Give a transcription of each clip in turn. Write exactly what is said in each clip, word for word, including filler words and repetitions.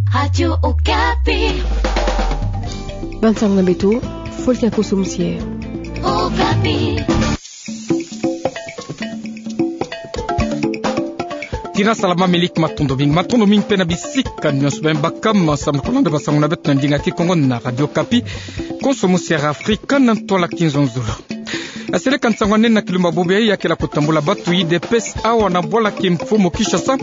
Radio Okapi. Bansango na beto, Folkia Koso Musier. Okapi. Tina salama, miliki matondo mingi. Matondo mingi pe na bisika nyonso bima baka ma samu na kolanda basango na beto na ndinga Kikongo na Radio Okapi. Koso Musier Afrika na ntwala kinzonzolo. Yaseleka nsangu nene na kilumbu bobo yayi, ya kele kutambula batu ya U D P S awa na bwala kimfumu Kinshasa,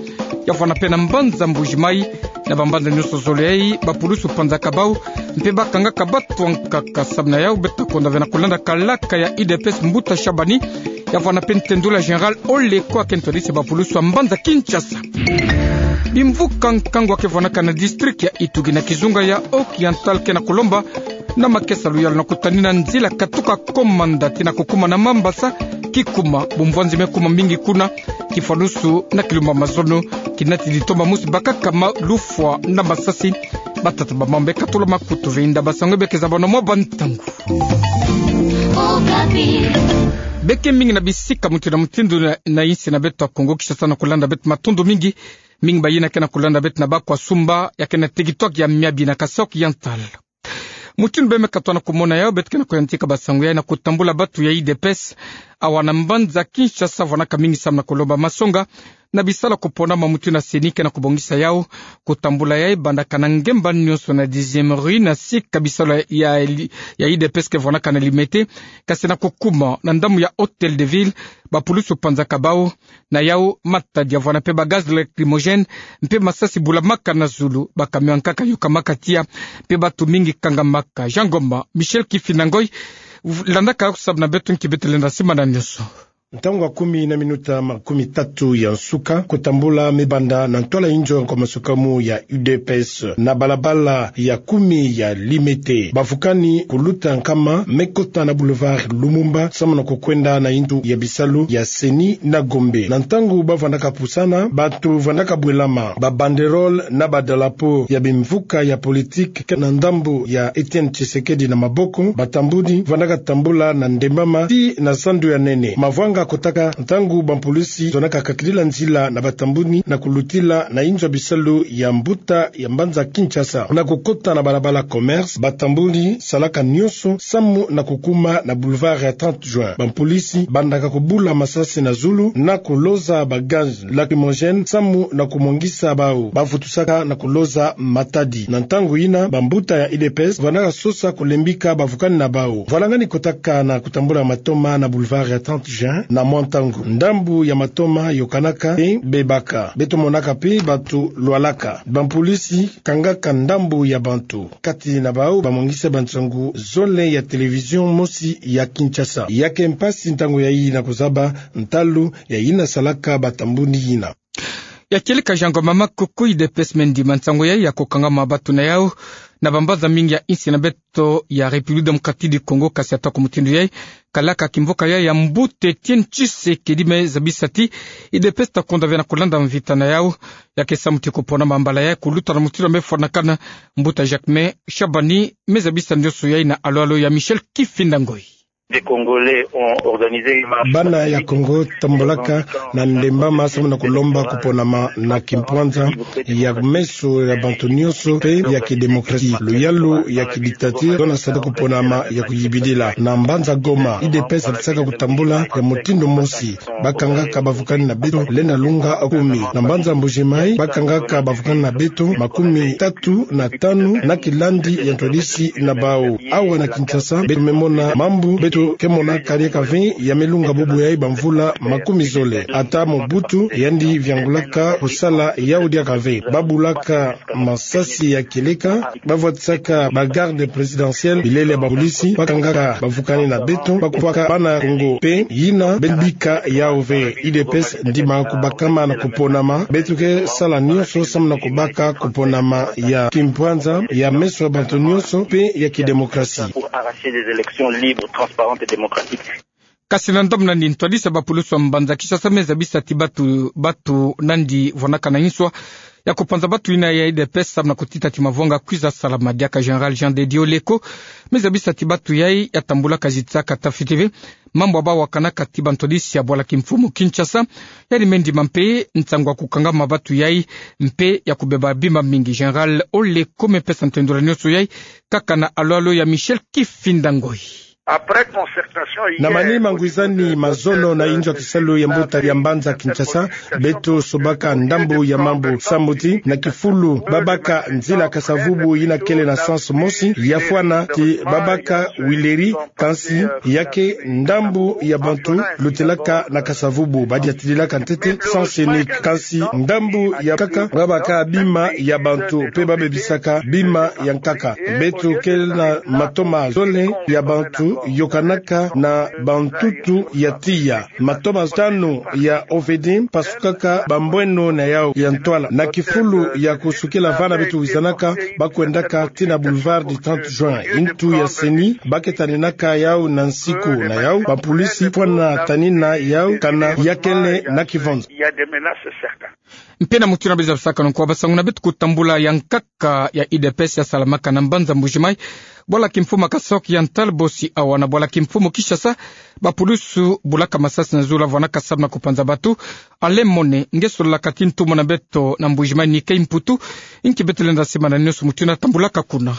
ya vwanda pe na mbanza Mbuji-Mayi, na bambanza nyonso zole yayi, bapulusu panzaka bau, mpe bakangaka batu ankaka. Samu na yau, beto ta konda ve na kulanda kalaka ya U D P S, Mbuta Shabani, ya vwanda pe ntendula Général Oleko, ake ntwadisi bapulusu ya mbanza Kinshasa. Bimvuka nkangu ake vwanaka na district ya Ituri na kizunga ya Oriental ke na kulomba na makesa luyalu na kutanina nzila katuka Komanda tii na kukuma na Mambasa, kikuma bumvwanzi me kuma mingi kuna, kifwanusu na kilumbu mazono, kinatidi tomba musi bakaka ma lufwa na masasi. Batata bamama, beka tula makutu ve inda basango beke zabana mwa bantangu. Okapi. Beke mingi na bisika mutindu na mutindu na, na insi na beto ya Kongo Kinshasa na kulanda beto, matondo mingi. Mingi bayina ke na kulanda beto na Bakwasumba, ya ke na territoire ya Miabi na Kasaï Oriental. Mutindu bima meka twa na kumona yau, beto ke na kuyantika basango yayi na kutambula batu ya U D P S awa na mbanza Kinshasa, vwanaka mingi samu na kulomba masonga na bisala kuponama. Mutindu na CENI ke na kubongisa yau, kutambula yayi bandaka na ngemba nyonso na dixième rue, na sika bisalu ya, ya U D P S ke vwanaka na Limete, kasi na kukuma na ndambu ya Hôtel de Ville, bapulusu panzaka bau. Na yau, matadi ya vwanda pe ba gaz lacrymogène, mpe masasi bulamaka na zulu, ba camion ankaka yokamaka tiya, mpe batu mingi kangamaka. Jean Ngoma, Michel Kifinda Ngoy, v-, landaka samu na beto nki beto lenda simana nyonso. Ntangu ya kumi na minuta makumi tatu ya nsuka, kutambula me banda na ntwala inzo ya nkwa masuka mu ya U D P S na balabala ya kumi ya Limete. Bavukani kuluta nkama me kota na boulevard Lumumba, samu na kukwenda na inzo ya bisalu ya CENI na Gombe. Na ntangu bavwandaka pusana, batu vandaka bwelama ba banderole na ba drapeau ya bimvuka ya politique ke na ndambu ya Etienne Tshisekedi na maboko. Batambudi vandaka tambula na ndembama tii na zandu ya nene. Mavwanga kotaka ntangu bampulisi zonaka kakidila nzila na batambudi na kulutila na inzo ya bisalu ya mbuta ya mbanza Kinshasa na kukota na balabala Commerce. Batambudi salaka nyonso samu na kukuma na boulevard ya trente juin. Bampulisi bandaka kubula masasi na zulu na kuloza ba gaz lacrymogène samu na kumwangisa bau. Bavutusaka na kuloza matadi. Na ntangu yina, bambuta ya U D P S vandaka sosa kulembika bavukani na bau. Vwalangani kotaka na kutambula matoma na boulevard ya trente juin na mwa ntangu. Ndambu ya matoma yokanaka mpe bebaka. Beto monaka mpe batu lwalaka. Bampulisi kangaka ndambu ya bantu. Kati na bau bamwangisa bansangu zole ya télévision mosi ya Kinshasa. Ya ke mpasi ntangu yayi na kuzaba ntalu ya yina salaka batambudi yina. Ya kieleka Jean Ngoma, makuku. U D P S me ndima nsangu yayi ya kukangama batu na yau na bambanza mingi ya insi na beto ya République Démocratique du Congo, kasi ata ku mutindu yayi, kalaka kimvuka yayi ya mbuta Etienne Tshisekedi me zabisa ti U D P S ta konda ve na kulanda mvita na yau. Ya ke samu ti kuponama mbala yayi kuluta na mutindu me fwanakana. Mbuta Jacquemain Shabani me zabisa nyonso yayi na alwalo ya Michel Kifinda Ngoy. Des Congolais ont organisé une marche pacifique. Bana ya Kongo tambulaka na ndembama samu na kulomba kuponama na kimpwanza ya meso ya bantu nyonso mpe ya kidemokrasi. Luyalu ya kidictature, tona sata kuponama ya kuyibidila. Na mbanza Goma, U D P S sadisaka kutambula ya mutindu mosi. Bakangaka bavukani na beto lenda lunga kumi. Na mbanza Mbuji-Mayi, bakangaka bavukani na beto makumi tatu na tanu na kilandi ya ntwadisi na bau. Awa na Kinshasa, beto me mona mambu beto ke monaka diaka ve ya me lunga bubu yayi bamvula makumi zole. Ata Mobutu yandi viangulaka kusala yau diaka ve. Babulaka masasi ya kieleka, bavwatisaka ba garde présidentielle, bilele ya bampulisi, bakangaka bavukani na beto, bakubaka bana Kongo mpe yina beno bika yau ve. U D P S ndima kubakama na kuponama, beto ke sala nyonso samu na kubaka kuponama ya kimpwanza, ya meso ya bantu nyonso mpe ya kidemokrasi. Pour arracher des élections libres, transparentes et démocratiques. Kasi na ndambu nani, ntwadisi ya bapulusu ya mbanza Kinshasa me zabisa ti batu, batu nandi vwanaka na inswa ya kupanza batu ina ya U D P S samu na kutita ti mavwanga kwiza salama. Diaka Général Jean de Dieu Leko me zabisa ti batu yai ya tambulaka zitisaka tafiti ve mambu abawakanaka ti bantwadisi ya bwala kimfumu Kinshasa, yandi me ndima mpe nsangu ya kukangama batu yai mpe ya kubeba bima mingi. Général Oleko me pesa ntendula nionso yai kaka na alo-alo ya Michel Kifinda Ngoi. Na mani mangwizani mazono na inzo ya kisalu ya mbuta ya mbanza Kinshasa, beto sobaka ndambu ya mambu samu ti na kifulu babaka nzila Kasa-Vubu ina kele na sens mosi, ya fwana ti babaka Huileries, kansi ya ke ndambu ya bantu lutelaka na Kasa-Vubu, badiatililaka ntete sens unique, kansi ndambu ya nkaka babaka bima ya bantu mpe babebisaka bima ya nkaka. Beto ke na matoma zole ya bantu yokanaka na bantutu ya tiya. Matoma tanu ya O V D pasukaka bambweno na yau ya ntwala. Na kifulu ya kusukila vana beto wizanaka, bakwendaka tii na boulevard du trente juin. Ntu ya CENI ba ke taninaka yau na nsiku na yau, bapulisi fwana tanina yau kana ya kele na kivonza. Mpe na mutindu na biza bisakanu nkwa, basanguna beto kutambula ya nkaka ya U D P S ya salamaka na mbanza Mbuji-Mayi, bwala kimfumu Kasaï Oriental, bosi awa na bwala kimfumu Kinshasa, bapulisi bulaka masasi na zulu vwanaka samu na kupanza batu. Alain Mone nge sololaka ti ntumwa na beto na Mbuji-Mayi Nicky Mputu, nki beto lenda sema na nionso mutindu na tambulaka kuna.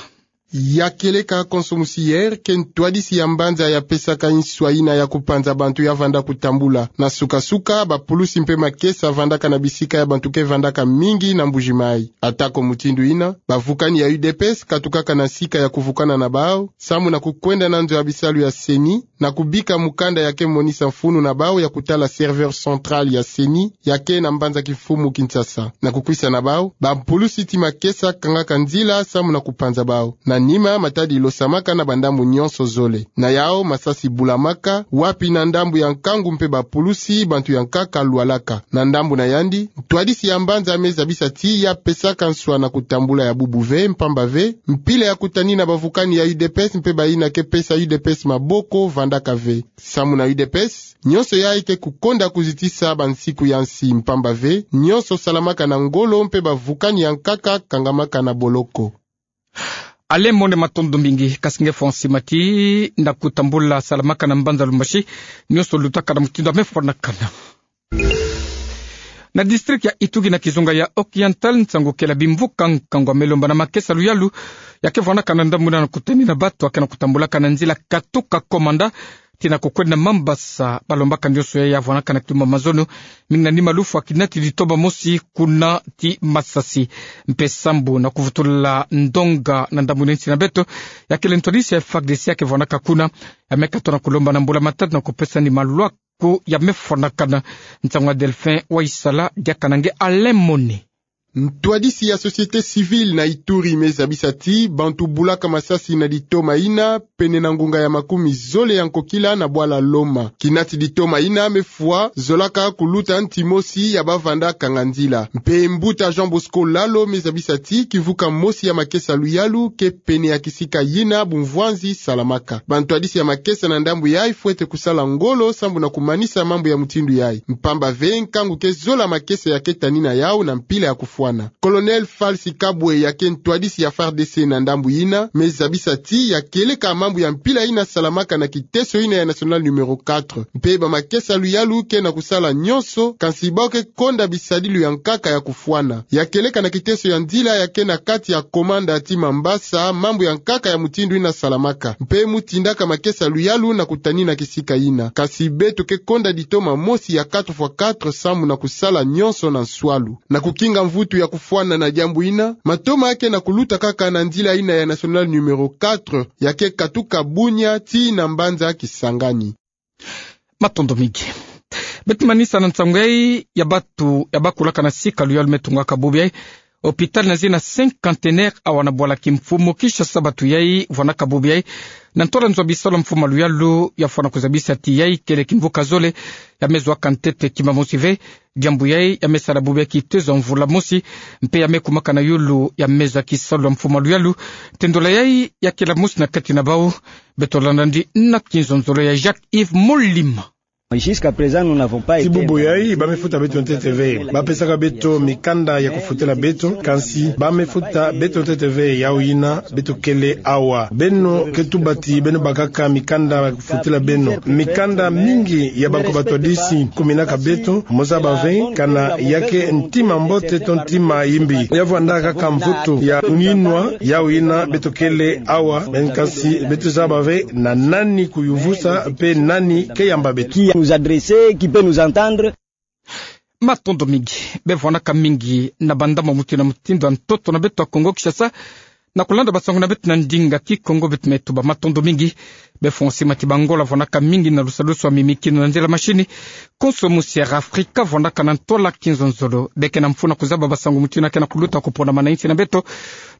Ya kieleka konso musi hier ke ntwadisi ya mbanza ya pesaka nswa ina ya kupanza bantu ya vanda kutambula. Na suka-suka, bapulusi mpe makesa vandaka na bisika ya bantu ke vandaka mingi na Mbuji-Mayi. Atako mutindu ina, bavukani ya U D P S katukaka na sika ya kuvukana na bau, samu na kukwenda na nzo ya bisalu ya CENI, na kubika mukanda ya ke monisa mfunu na bau ya kutala serveur central ya CENI, ya ke na mbanza kimfumu Kinshasa. Na kukwisa na bau, bapulusi ti makesa kangaka nzila samu na kupanza bau. Na nima, matadi losamaka na bandambu nionso zole. Na yau, masasi bulamaka, wapi na ndambu ya nkangu mpe bapulusi, bantu ya nkaka lwalaka. Na ndambu na yandi, ntwadisi ya mbanza me zabisa ti ya pesaka nswa na kutambula ya bubu ve, mpamba ve mpila ya kutanina bavukani ya U D P S mpe baina ke pesa U D P S maboko vandaka ve. Samu na U D P S, nionso yai ke kukonda kuzitisa bansiku ya nsi, mpamba ve nionso salamaka na ngolo mpe bavukani ya nkaka kangamaka na boloko. Alain Mone, matondo mingi. Kasi nge fwa sima ti na kutambula salamaka na mbanza Lubumbashi, nionso lutaka na mutindu ya me fwanakana. Na district ya Ituri na kizunga ya Oriental, nsangu kela bimvuka nkangu ya me lomba na makesa luyalu ya ke vwanakana na ndambu ina na kutanina batu ya ke na kutambulaka na nzila katuka Komanda tii na kukwenda Mambasa. Balombaka nionso yai ya vwanakana kitumba mazono, mingi na nima lufwa kinatidi toma mosi kuna ti masasi. Mpe sambu na kuvutula ndonga na ndambu ina nsi na beto, ya kele ntwadisi ya FARDC ya ke vwanaka kuna, ya me katono na kulomba na mbula matatu na kupesa ni malwa ku ya me fwanakana. Nsangu ya Delphin Waisala, diaka na nge Alain Mone. Ntwadisi ya société civile na Ituri me zabisa ti bantu bulaka masasi na ditoma ina pene na ngunga ya makumi zole ya nkokila na bwala Loma. Kinatidi toma ina me fwa zolaka kuluta nti mosi ya bavanda kanga nzila. Mpe mbuta Jean Bosco Lalo me zabisa ti kimvuka mosi ya makesa luyalu ke pene ya kisika yina bumvwanzi salamaka. Bantwadisi ya makesa na ndambu yai fwete kusala ngolo sambu na kumanisa mambu ya mutindu yai, mpamba ve nkangu ke zola makesa ya ke tanina yau na mpila ya kufwana. Colonel Falsi Kabwe, ya ke ntwadisi ya FARDC na ndambu yina, me zabisa ti ya kieleka mambu ya mpila yina salamaka na kiteso yina ya national numéro quatre. Mpe bamakesa luyalu ke na kusala nionso, kansi bau ke konda bisadilu ya nkaka ya kufwana. Ya kieleka na kiteso ya nzila ya ke na kati ya Komanda tii Mambasa, mambu ya nkaka ya mutindu yina salamaka. Mpe mu tindaka makesa luyalu na kutanina kisika yina. Kasi beto ke konda ditoma mosi ya quatre fois quatre sambu na kusala nionso na nswalu. Na kukinga mvutu ya kufwana na diambu yina, matoma ya ke na kuluta kaka na nzila yina ya national numéro quatre, ya ke katuka Bunia tii na mbanza Kisangani. Matondo mingi. Beto manisa na nsangu yai ya batu ya bakulaka na sika luyalu me tungaka bubu yai. Hôpital na zina Cinquantenaire awa na bwala kimfumu Kinshasa, batu yai vwanaka bubu yai na ntwala nzo ya bisalu ya mfumu luyalu, ya fwana kuzabisa ti yai kele kimvuka zole ya me zwa ka ntete kima mosi ve. Diambu yai ya me sala bubu yai kitezo ya mvula mosi, mpe ya me kumaka na yulu ya me zwa kisalu ya mfumu luyalu. Ntendula yai ya kela mosi na kati na bau. Beto landa ndi na kinzonzolo ya Jacques Yves Molima. Ti bubu yai, ba me futa beto ntete ve. Ba pesaka beto mikanda ya kufutila beto, kansi ba me futa beto ntete ve, yau yina beto kele awa. Beno ke tuba ti beno bakaka mikanda ya kufutila beno. Mikanda mingi ya bankoba twadisi kuminaka beto, mo zaba ve, kana ya ke ntima mbote to ntima yimbi. Ya vwandaka kaka mvutu ya nginwa, yau yina beto kele awa, kansi beto zaba ve na nani kuyuvusa, mpe nani ke yamba beto. Qui nous adresser, qui peut nous entendre. Matondo mingi. Bevwanaka mingi na bandambu mutindu na mutindu ya ntoto na beto ya Kongo Kinshasa, na kulanda basangu na beto na ndinga Kikongo, beto me tuba matondo mingi. Be François Matibangola vwanaka mingi na lusalusu ya mimikinu na nzila mashini. Konso musi ya Afrika vwanaka na ntwala kinzonzolo. Be ke na mfunu ya kuzaba basangu mutindu na ke na kuluta kupona mana insi na beto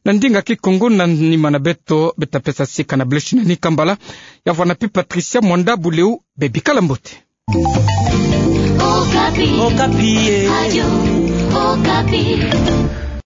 na ndinga Kikongo, na nima na beto, beta pesa sika na Blanche-Nini Kambala. Ya vwana pi Patricia Mwanda Buleu, be bikala mbote. Okapi. Okapi, eh. Radio Okapi.